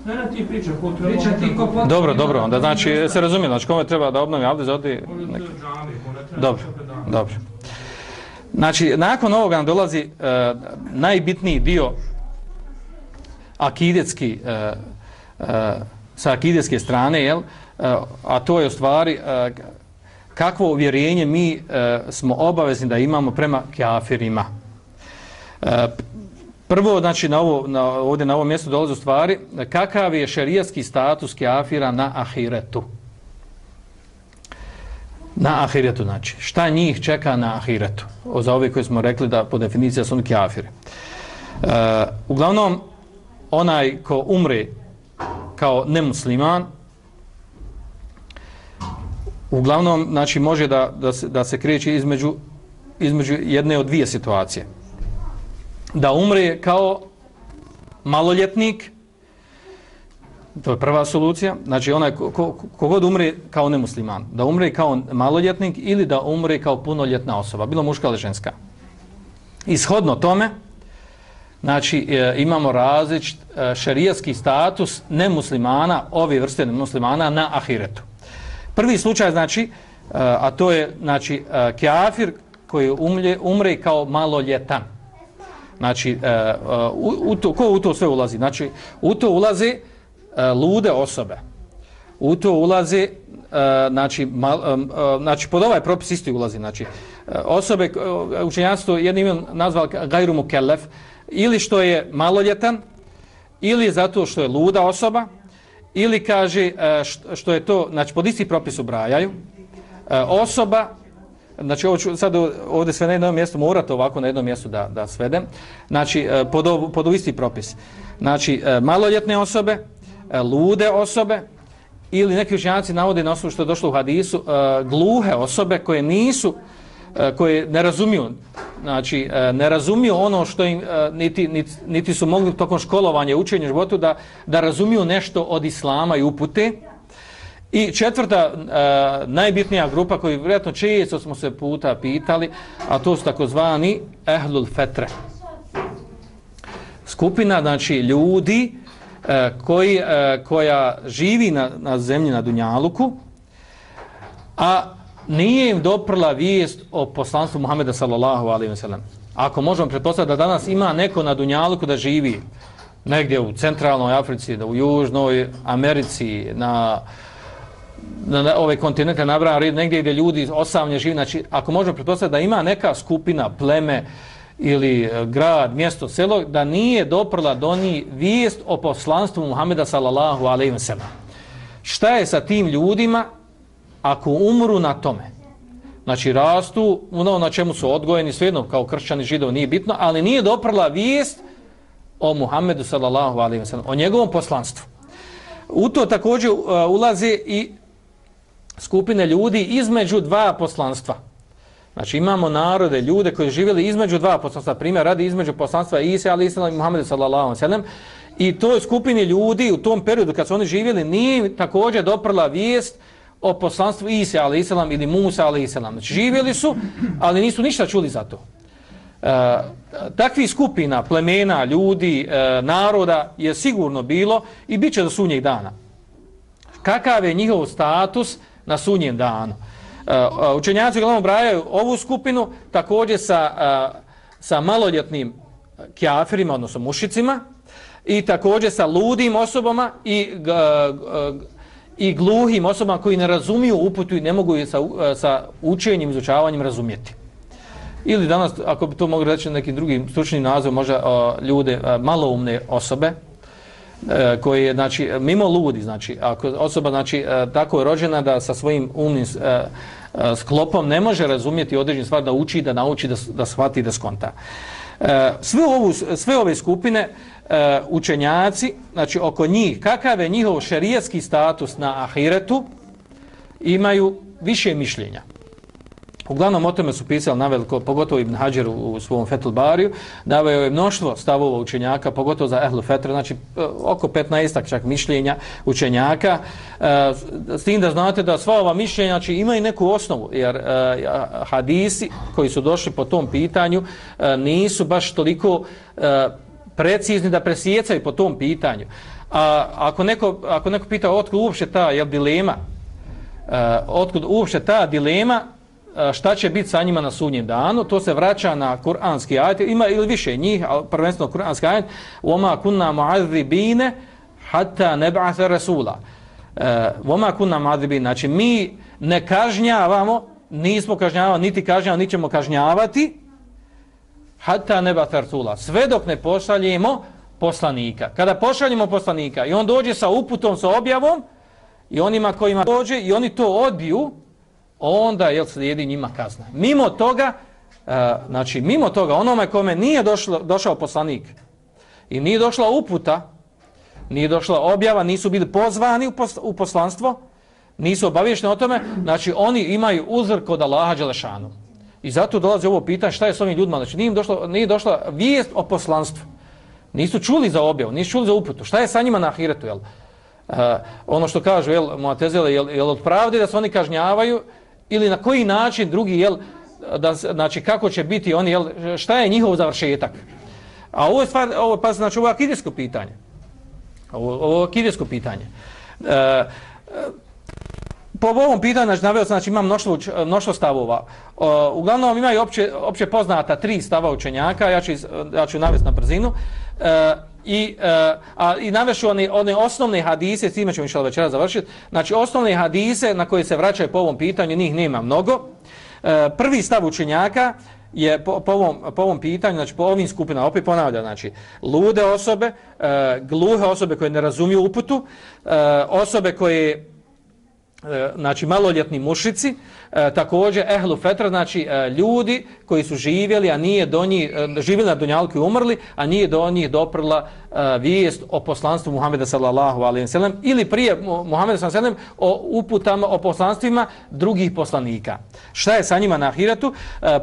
Ne, ti priča, ko treba... Priča ti ko potio... Dobro, onda znači, se razumije, znači kome treba da obnovi abdest, odi... Dobro. Znači, nakon ovoga nam dolazi najbitniji dio akidetski, sa akidetske strane, jel? A to je u stvari kakvo uvjerenje mi smo obavezni da imamo prema kafirima. Prvo, znači, ovdje na ovom mjestu dolazi u stvari kakav je šerijatski status kafira na ahiretu. Na ahiretu, znači, šta njih čeka na ahiretu? Za ove koje smo rekli da po definiciji su oni kafiri. Uglavnom, onaj ko umre kao nemusliman, uglavnom, znači, može da se kreće između jedne od dvije situacije. Da umre kao maloljetnik, to je prva solucija, znači onaj kogod umre kao nemusliman, da umre kao maloljetnik ili da umre kao punoljetna osoba, bilo muška ili ženska. Ishodno tome, znači imamo različit šerijatski status nemuslimana, ove vrste nemuslimana na ahiretu. Prvi slučaj, znači, a to je, znači, kafir koji umre kao maloljetan. Znači, ko u to sve ulazi? Znači, u to ulazi lude osobe. U to ulazi, znači, pod ovaj propis isti ulazi, znači, osobe, učenjaci to jednim nazvali gajru mukellef, ili što je maloljetan, ili zato što je luda osoba, ili kaže što je to, znači, pod isti propis ubrajaju, osoba, znači, ovo ću sad ovdje sve na jednom mjestu, morate ovako na jednom mjestu da svedem, znači, pod isti propis. Znači, maloljetne osobe, lude osobe, ili neki učenjaci navode na osnovu što je došlo u hadisu, gluhe osobe koje nisu, koje ne razumiju, znači, ne razumiju ono što im, niti su mogli tokom školovanja, učenja u životu, da razumiju nešto od islama i upute. I četvrta, najbitnija grupa koju vjerojatno često smo se puta pitali, a to su takozvani ehlul fetre. Skupina, znači, ljudi koja živi na zemlji na Dunjaluku, a nije im doprla vijest o poslanstvu Muhameda sallallahu alejhi ve sellem. Ako možemo pretpostaviti da danas ima neko na Dunjaluku da živi negdje u centralnoj Africi, da u južnoj Americi, na ove kontinente nabrajam negdje gdje ljudi osamlje živi, znači ako možemo pretpostaviti da ima neka skupina, pleme ili grad, mjesto, selo, da nije doprla do njih vijest o poslanstvu Muhameda sallallahu alejhi ve sellem. Šta je sa tim ljudima ako umru na tome? znači rastu ono na čemu su odgojeni, svejedno kao kršćani, židovi, nije bitno, ali nije doprla vijest o Muhammedu sallallahu alejhi ve sellem, o njegovom poslanstvu. U to također ulaze i skupine ljudi između dva poslanstva. Znači imamo narode, ljude koji živjeli između dva poslanstva, primjer radi između poslanstva Isa alejhi selam i Muhammeda sallallahu alejhi ve sellem, i toj skupini ljudi u tom periodu kad su oni živjeli nije također doprla vijest o poslanstvu Isa alejhi selam ili Musa alejhi selam. Znači živjeli su, ali nisu ništa čuli za to. Takvih skupina, plemena, ljudi, naroda je sigurno bilo i bit će do sunnjeg dana. Kakav je njihov status na sunnjem danu? Učenjaci uglavnom brajaju ovu skupinu također sa maloljetnim kjafirima, odnosno mušicima, i također sa ludim osobama i gluhim osobama koji ne razumiju uputu i ne mogu je sa učenjem, izučavanjem razumjeti. Ili danas, ako bi to mogli reći nekim drugim stručnim nazivom, možda ljude, maloumne osobe, koje, znači, mimo ludi, znači, ako osoba, znači, tako je rođena da sa svojim umnim sklopom ne može razumjeti određenu stvar, da uči, da nauči, da shvati, da skonta. Sve ove skupine učenjaci, znači oko njih, kakav je njihov šerijatski status na ahiretu, imaju više mišljenja. Uglavnom o tome su pisali naveliko, pogotovo Ibn Hadžer u svom Fethul Bariju, naveo je mnoštvo stavova učenjaka, pogotovo za Ehlu Fetra, znači oko 15 čak mišljenja učenjaka, s tim da znate da sva ova mišljenja, znači, imaju neku osnovu, jer hadisi koji su došli po tom pitanju nisu baš toliko precizni da presjecaju po tom pitanju. Ako neko pita otkud uopće ta dilema, otkud uopće ta dilema, šta će biti sa njima na sudnjem danu, to se vraća na kuranski ajet, ima ili više njih, ali prvenstveno kuranski ajet, وَمَا كُنَّا مُعَذِّبِينَ حَتَّى نَبْعَثَ رَسُولًا. وَمَا كُنَّا مُعَذِّبِينَ, znači mi ne kažnjavamo, nismo kažnjavali, niti kažnjavamo, niti ćemo kažnjavati, حَتَّى نَبْعَثَ رَسُولًا, sve dok ne pošaljemo poslanika. Kada pošaljemo poslanika i on dođe sa uputom, sa objavom, i onima kojima dođe i oni to odbiju, onda slijedi njima kazna. Mimo toga, znači mimo toga, onome kome nije došao poslanik i nije došla uputa, nije došla objava, nisu bili pozvani u poslanstvo, nisu obavješteni o tome, znači oni imaju uzor kod Allaha dželešanu. I zato dolazi ovo pitanje šta je s ovim ljudima, znači nije došla vijest o poslanstvu. Nisu čuli za objavu, nisu čuli za uputu. Šta je sa njima na ahiretu, jel? Ono što kažu, Mu'tezile, jel od pravde da se oni kažnjavaju, ili na koji način drugi, znači kako će biti oni, šta je njihov završetak. A ovo je stvar, znači ovo je akidijsko pitanje. Ovo je akidijsko pitanje. Po ovom pitanju, znači, naveo sam, znači, imam mnoštvo stavova. Uglavnom imaju opće poznata 3 stava učenjaka, ja ću navesti na brzinu. I navešu one osnovne hadise, s time ćemo inšallah večera završiti. Znači osnovne hadise na koje se vraćaju po ovom pitanju, njih nema mnogo. Prvi stav učenjaka je po ovom pitanju, znači po ovim skupinama, opet ponavljam, znači lude osobe, gluhe osobe koje ne razumiju uputu, osobe koje, znači maloljetni mušici, također ehlu fetra, znači ljudi koji su živjeli, a nije do njih, živjeli na dunjalku i umrli, a nije do njih doprla vijest o poslanstvu Muhameda sallallahu alejhi ve sellem, ili prije Muhameda sallallahu alejhi ve sellem o uputama, o poslanstvima drugih poslanika. Šta je sa njima na ahiretu?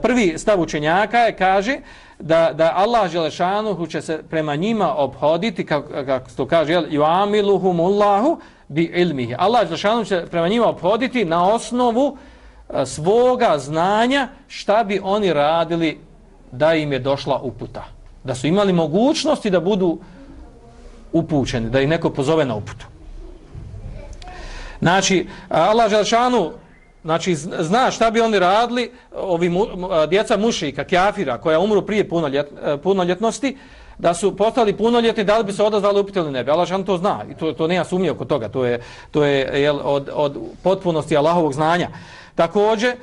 Prvi stav učenjaka je, kaže da Allah dželešanuhu će se prema njima obhoditi, kako to kaže, yuamiluhumullahu bi ilmihi. Allah dželešanuhu će prema njima obhoditi na osnovu svoga znanja šta bi oni radili da im je došla uputa. Da su imali mogućnosti da budu upućeni, da ih neko pozove na uputu. Znači, Allah dželešanuhu, znači, zna šta bi oni radili, ovi djeca mušika, kjafira, koja umru prije punoljetnosti, da su postali punoljetni, da li bi se odazvali upute ili ne bi. Allah to zna i to nema sumnje oko toga. To je od potpunosti Allahovog znanja. Također,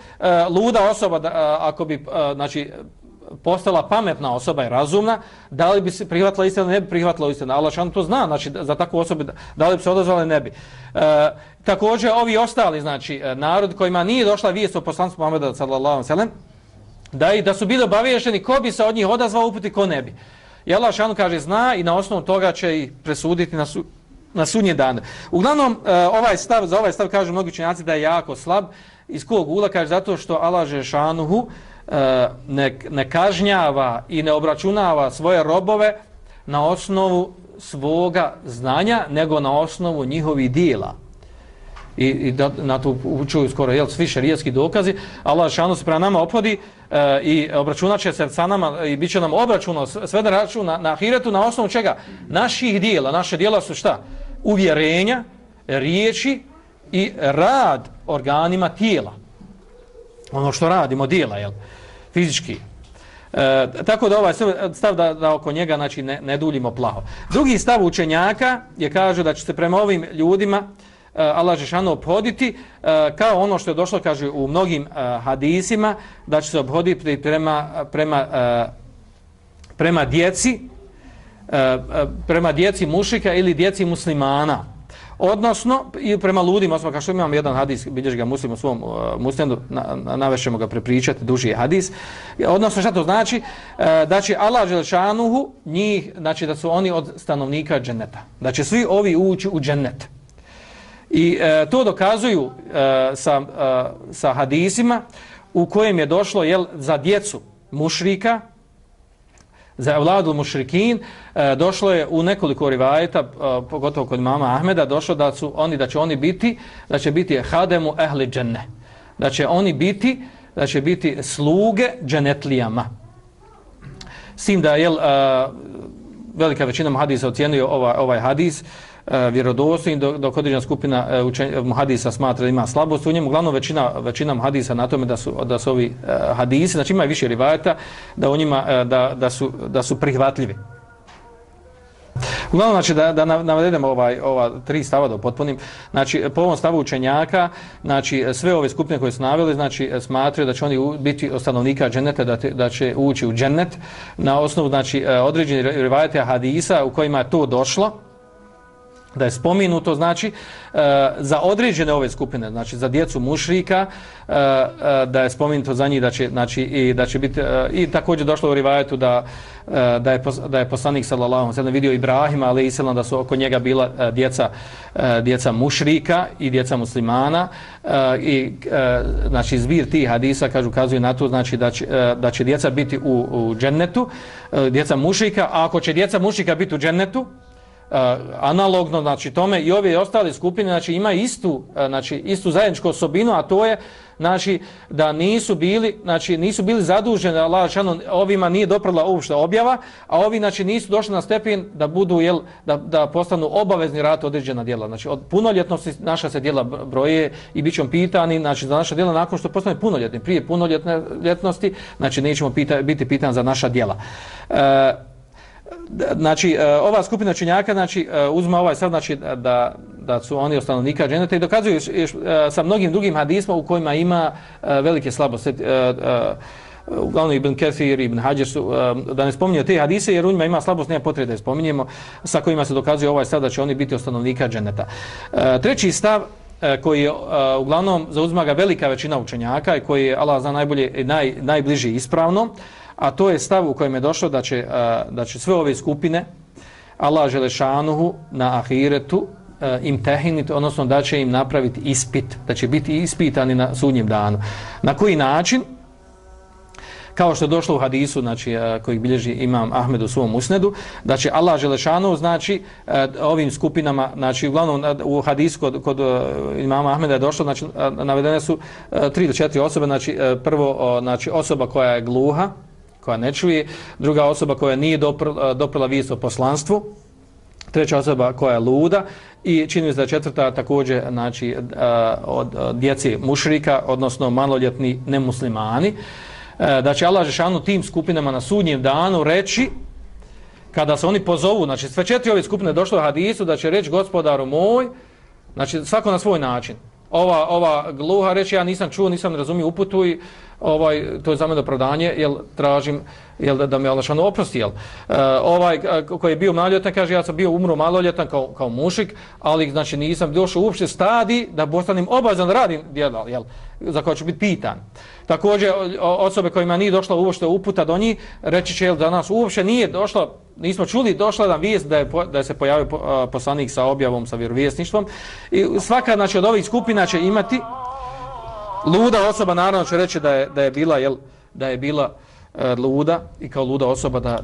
luda osoba, ako bi, znači, postala pametna osoba i razumna, da li bi se prihvatila istinu, ne bi prihvatila istinu. Allah šan to zna, znači za takvu osobu da li bi se odazvali, ne bi. Također ovi ostali, znači narod kojima nije došla vijest o poslanstvu Muhameda sallallahu alejhi ve sellem, da su bili obaviješteni ko bi se od njih odazvao uputi, ko ne bi. I Allah šan kaže zna i na osnovu toga će ih presuditi na sudnji dan. Uglavnom za ovaj stav kažu mnogi učenjaci da je jako slab. Iz kog ugla kaže zato što Allah Žešanuhu ne kažnjava i ne obračunava svoje robove na osnovu svoga znanja, nego na osnovu njihovih dijela. I na to učuju skoro svi šerijatski dokazi. Allah Žešanu se prema nama ophodi i obračunat će se sa nama i bit će nam obračuno sve na račun na ahiretu na osnovu čega? Naših dijela. Naše dijela su šta? Uvjerenja, riječi i rad organima tijela. Ono što radimo, dijela, fizički. Tako da ovaj stav da oko njega znači, ne duljimo plaho. Drugi stav učenjaka je kaže da će se prema ovim ljudima Allah Žešanu obhoditi kao ono što je došlo, kaže, u mnogim hadisima, da će se obhoditi prema djeci mušrika ili djeci muslimana. Odnosno, i prema ludima, kao što imamo jedan hadis, bilježi ga Muslim u svom musnadu, navešćemo ga prepričati, duži hadis. Odnosno, šta to znači? Da će Allah Želešanuhu njih, znači da su oni od stanovnika dženeta. Da će svi ovi ući u džennet. I to dokazuju sa hadisima u kojem je došlo za djecu mušrika, za evladul mušrikin, došlo je u nekoliko rivajeta, pogotovo kod imama Ahmeda, došlo da će biti hademu ehli dženne. Da će biti sluge dženetlijama. S tim da velika većina hadisa ocjenjuje ovaj hadis vjerodostojnim, dok određena skupina hadisa smatra da ima slabost u njemu. Uglavnom većina hadisa na tome da su ovi hadisi, znači ima više rivajeta, da u njima da su prihvatljivi. Uglavnom, znači da navedemo ova tri stava da upotpunim. Znači po ovom stavu učenjaka, znači sve ove skupine koje su naveli, znači smatraju da će oni biti od stanovnika dženeta, da će ući u džennet na osnovu znači određeni rivajete hadisa u kojima je to došlo, da je spomenuto, znači za određene ove skupine, znači za djecu mušrika, da je spomenuto za njih da će biti i također došlo u rivajetu da je poslanik sallallahu alejhi ve sellem vidio Ibrahima alejhi selam da su oko njega bila djeca mušrika i djeca muslimana i znači zbir tih hadisa ukazuje na to, znači da će djeca biti u džennetu, djeca mušrika, a ako će djeca mušrika biti u džennetu, analogno znači tome i ove ostale skupine znači imaju istu zajedničku osobinu, a to je znači da nisu bili zaduženi, Allah dželle ovima nije doprla uopšte objava, a ovi znači nisu došli na stepen da budu da postanu obavezni raditi određena djela. Znači od punoljetnosti naša se djela broje i bićemo pitani znači za naša djela nakon što postane punoljetni. Prije punoljetnosti znači nećemo biti pitani za naša djela. Znači ova skupina učenjaka znači uzma ovaj stav znači da su oni od stanovnika dženeta i dokazuju sa mnogim drugim hadisima u kojima ima velike slabosti. Uglavnom Ibn Kathir i Ibn Hadžer su, da ne spominjemo te hadise jer u njima ima slabost, nema potrebe da je spominjemo, sa kojima se dokazuje ovaj stav da će oni biti od stanovnika dženeta. Treći stav koji je uglavnom zauzima ga velika većina učenjaka i koji je Allah zna najbolje i najbliži ispravno, a to je stav u kojem je došlo da će sve ove skupine Allah Želešanuhu na ahiretu im tehiniti, odnosno da će im napraviti ispit, da će biti ispitani na sudnjem danu. Na koji način? Kao što je došlo u hadisu, znači koji bilježi imam Ahmed u svom musnedu, da će Allah Želešanuhu, znači ovim skupinama, znači uglavnom u hadisu kod imama Ahmeda je došlo, znači navedene su 3 do 4 osobe, znači prvo znači osoba koja je gluha, koja ne čuje, druga osoba koja nije doprla vijest o poslanstvu, treća osoba koja je luda i čini mi se da četvrta također znači od djece mušrika, odnosno maloljetni nemuslimani, da će Allah dželešanu tim skupinama na sudnjem danu reći, kada se oni pozovu, znači sve 4 ove skupine došlo u hadisu, da će reći gospodaru moj, znači svako na svoj način. Ova gluha reći ja nisam čuo, nisam razumio uputu i to je za mene opravdanje, jel tražim da me Allah šanu oprosti, jel. Koji je bio maloljetan, kaže ja sam bio umro maloljetan kao mušik, ali znači nisam došao uopšte stadij da postanem obavezan da radim djela, jel, za koje ću biti pitan. Također osobe kojima nije došla uopšte uputa do njih, reći će, jel, da nas uopšte nije došla, nismo čuli, došla nam vijest da se pojavio poslanik sa objavom, sa vjerovjesništvom, i svaka, znači, od ovih skupina će imati luda osoba, naravno će reći da je bila luda i kao luda osoba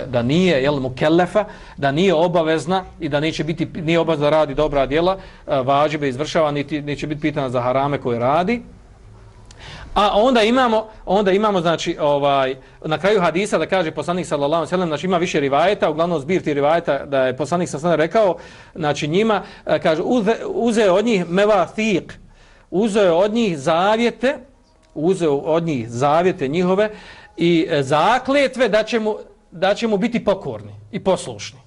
da nije, jel, mukellefa, da nije obavezna i da nije obavezna da radi dobra djela, vađibe izvršava, niti će biti pitana za harame koje radi. A onda imamo znači na kraju hadisa da kaže poslanik sallallahu alejhi ve sellem, znači ima više rivajeta, uglavnom zbir tih rivajeta da je poslanik sallallahu alejhi ve sellem rekao, znači njima kaže uzeo od njih mevathiq, uzeo od njih zavjete njihove i zakletve da će mu biti pokorni i poslušni.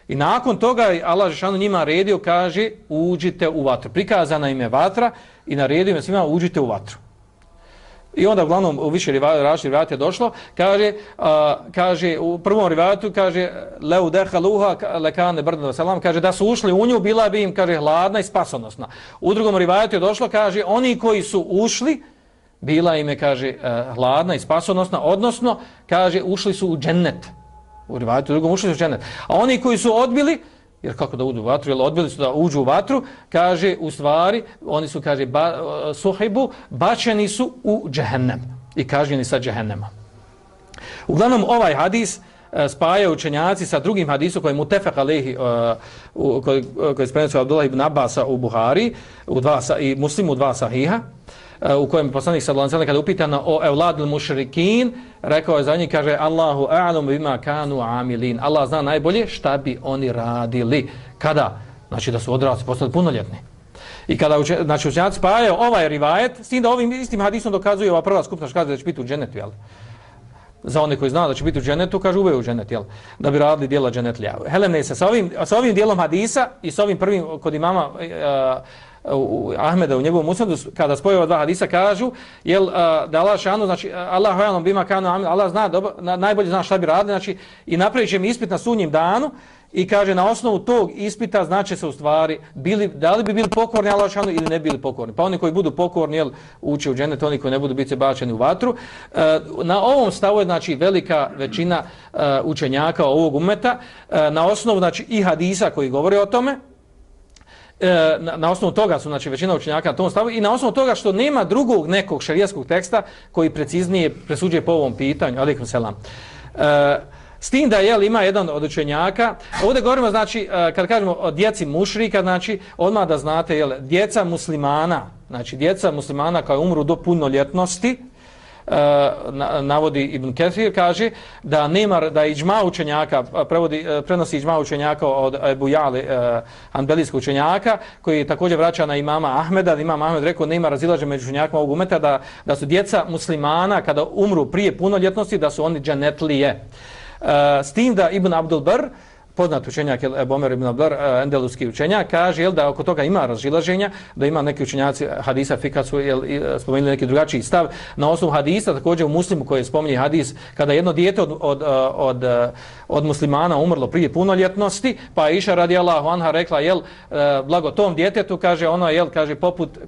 I nakon toga Allah dželle njima redio, kaže uđite u vatru. Prikazana im je vatra i naredio im svima uđite u vatru. I onda uglavnom u više rivajata je došlo, kaže u prvom rivajatu kaže leu dehaluha lekane brdan selam, kaže da su ušli u nju bila bi im, kaže, hladna i spasonosna. U drugom rivajatu je došlo, kaže oni koji su ušli bila im je, kaže, hladna i spasonosna, odnosno kaže ušli su u džennet. U rivajatu drugom ušli su u džennet. A oni koji su odbili, jer kako da uđu u vatru, jer odbili su da uđu u vatru, kaže u stvari oni su, kaže, suhibu, bačeni su u džehennem i kažnjeni sa džehennema. Uglavnom ovaj hadis spajaju učenjaci sa drugim hadisom koji je mutefek alejhi, koji je prenosio Abdullah ibn Abbasa u Buhari i Muslimu u 2 sahiha, u kojem poslanik sallallahu alejhi ve sellem kada je upitano o evladil mušrikin, rekao je za njih, kaže Allahu a'lamu bima kanu amilin. Allah zna najbolje šta bi oni radili. Kada? Znači da su odrasli, postali punoljetni. I kada znači učenjaci spajaju ovaj rivajet, s tim da ovim istim hadisom dokazuje ova prva skupina, kaže da će biti u džennetu, jel? Za one koji zna da će biti u džennetu, kaže uveo u džennet, jel? Da bi radili djela džennetlija. Helene se sa ovim dijelom hadisa i sa ovim prvim kod imama Ahmeda u njegovom musnadu, kada spoje ova 2 hadisa, kažu jel, da Allah šanu, znači Allah hojalom bima kanu amin, Allah zna, najbolje zna šta bi radili, znači i napravit će mi ispit na sudnjem danu i kaže na osnovu tog ispita znači se u stvari da li bi bili pokorni Allah šanu ili ne bili pokorni. Pa oni koji budu pokorni, jel, uče u džennet, oni koji ne budu biti bačeni u vatru. Na ovom stavu je, znači, velika većina učenjaka ovog ummeta, na osnovu, znači, i hadisa koji govore o tome. Na osnovu toga su, znači, većina učenjaka na tom stavu i na osnovu toga što nema drugog nekog šerijatskog teksta koji preciznije presuđuje po ovom pitanju. Alejkum selam. S tim da, jel, ima jedan od učenjaka, ovdje govorimo, znači, kad kažemo o djeci mušrika, znači, odmah da znate, jel, djeca muslimana, znači, djeca muslimana koji umru do punoljetnosti, navodi Ibn Kathir, kaže da nema, da iđma učenjaka, prenosi iđma učenjaka od Ebu Jali, hanbelijskog učenjaka, koji također vraća na imama Ahmeda, da imam Ahmed rekao nema razilaženja među učenjakima ovog umeta, da su djeca muslimana kada umru prije punoljetnosti, da su oni dženetlije. S tim da Ibn Abdul Bar, poznat učenjak Ebu Omer ibn Abdul Bar, endeluski učenjak, kaže, jel, da oko toga ima razilaženja, da ima neki učenjaci hadisa fika su, jel, spomenuli neki drugačiji stav. Na osnovu hadisa, također u Muslimu koji spominje hadis, kada jedno dijete od muslimana umrlo prije punoljetnosti, pa Iša radijallahu anha rekla, jel, blago tom djetetu, kaže ono, jel, kaže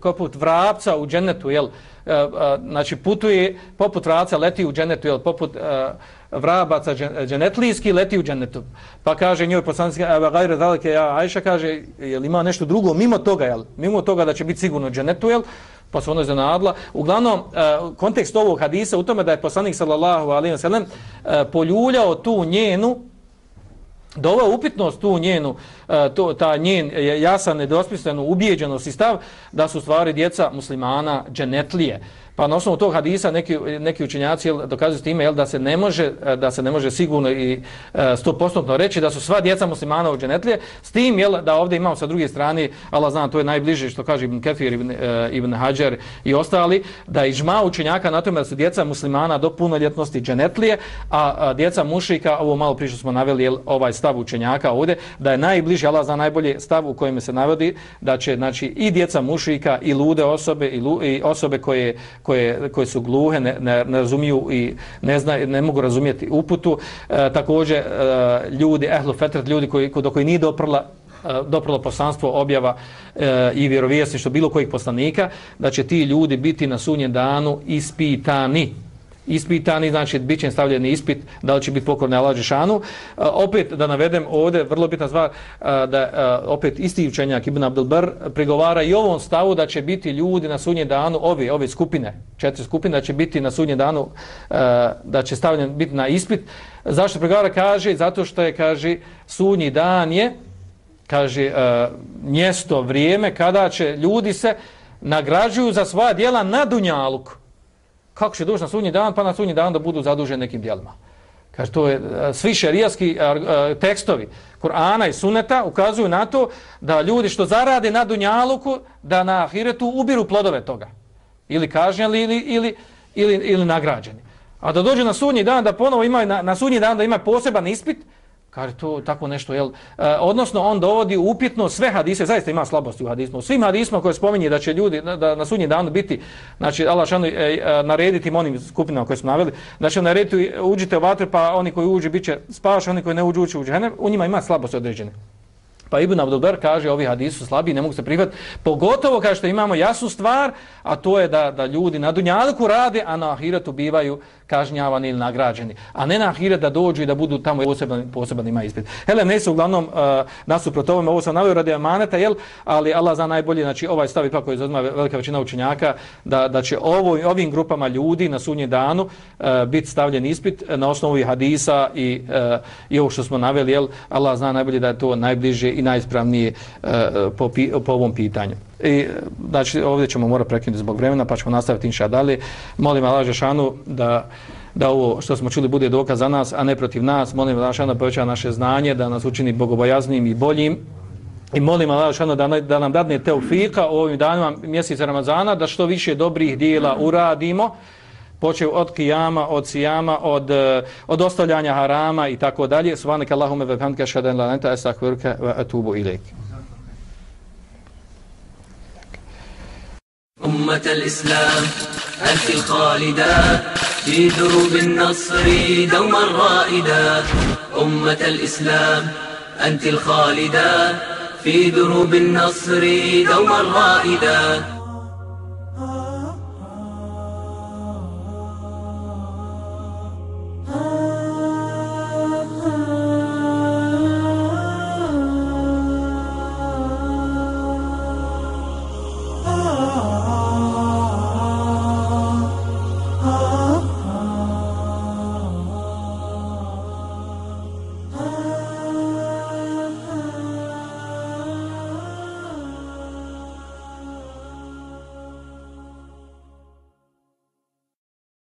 poput vrapca u džennetu, jel, znači putuje poput vrapca, leti u džennetu, jel, poput vrabaca dženetlijski leti u džennetu. Pa kaže njoj poslanik gajre zalike, ja Ajša, kaže, jel ima nešto drugo mimo toga, jel, mimo toga da će biti sigurno u džennetu, jel, pa se ono iznenadila. Uglavnom, kontekst ovog hadisa u tome da je poslanik sallallahu alejhi ve sellem poljuljao tu njenu, doveo upitnost tu njenu, ta njen jasan, nedvosmislenu ubijeđenost i stav da su stvari djeca muslimana dženetlije. Pa na osnovu tog hadisa neki učenjaci dokazuju s time, jel, da se ne može sigurno i 100% reći da su sva djeca muslimana u dženetlije, s tim, jel, da ovdje imamo sa druge strane, Allah zna, to je najbliže što kaže Ibn Kathir, Ibn Hajar i ostali, da iđma učenjaka na tome da su djeca muslimana do punoljetnosti dženetlije, a djeca mušrika, ovo malo prije što smo naveli, jel, ovaj stav učenjaka ovdje, da je najbliže, Allah zna najbolje stav u kojem se navodi da će, znači, i djeca mušrika i lude osobe i osobe koje koje su gluhe, ne razumiju i ne mogu razumjeti uputu. Također ljudi ehlu fetret, ljudi do koji nije doprlo poslanstvo, objava i vjerovjesništvo bilo kojih poslanika, da će ti ljudi biti na sudnjem danu ispitani, znači bit će stavljeni ispit da li će biti pokorni Allahu dželešanu. Opet da navedem ovdje vrlo bitna stvar, da opet isti učenjak Ibn Abdul Bar prigovara i ovom stavu da će biti ljudi na sudnjem danu, ove skupine, 4 skupine, da će biti na sudnjem danu, da će stavljen biti na ispit. Zašto prigovara? Kaže, zato što je, kaže, sudnji dan je, kaže, mjesto, vrijeme kada će ljudi se nagrađuju za svoja djela na dunjaluku. Kako će doći na sudnji dan, pa na sudnji dan da budu zaduženi nekim djelima. Kaže, to je, svi šerijatski tekstovi Kur'ana i Sunneta ukazuju na to da ljudi što zarade na dunjaluku, da na ahiretu ubiru plodove toga. Ili kažnjeni ili nagrađeni. A da dođe na sudnji dan, da ponovo imaju na sudnji dan da ima poseban ispit, kaže to tako nešto, jel? Odnosno on dovodi upitno sve hadise, zaista ima slabosti u hadismu. U svim hadisma koje spominje da će ljudi da na sudnji danu biti, znači Allah šanu narediti onim skupinama koje smo naveli, da će narediti uđite u vatru, pa oni koji uđu biće spašeni, oni koji ne uđu u džehennem, u njima ima slabosti određene. Pa Ibn Abdul Bar kaže ovi hadisi su slabi, ne mogu se prihvatiti. Pogotovo kaže što imamo jasnu stvar, a to je da ljudi na dunjaluku rade, a na ahiretu bivaju kažnjavani ili nagrađeni. A ne na ahiret da dođu i da budu tamo poseban ima ispit. Hele, ne su uglavnom nasuprot ovome, ovo sam naveo radi amaneta, jel? Ali Allah zna najbolje, znači ovaj stav ipak koji zauzima velika većina učenjaka, da će ovim grupama ljudi na sudnjem danu biti stavljen ispit na osnovu hadisa i ovo što smo naveli, jel? Allah zna najbolje da je to najbliže i najispravnije po ovom pitanju. I znači ovdje ćemo morati prekinuti zbog vremena, pa ćemo nastaviti inša dalje. Molim Allah dželešanu da ovo što smo čuli bude dokaz za nas, a ne protiv nas. Molim Allah dželešanu da poveća naše znanje, da nas učini bogobojaznim i boljim. I molim Allah dželešanu da nam dadne teufika u ovim danima mjeseca Ramazana, da što više dobrih djela uradimo, počev od kijama, od sijama, od ostavljanja harama i tako dalje. Subhanaka Allahumma wa bihamdika ashhadu an la ilaha illa anta astaghfiruka wa atubu ilaik. أمة الإسلام أنت الخالدة في دروب النصر دوما رائدة. أمة الإسلام أنت الخالدة في دروب النصر دوما رائدة.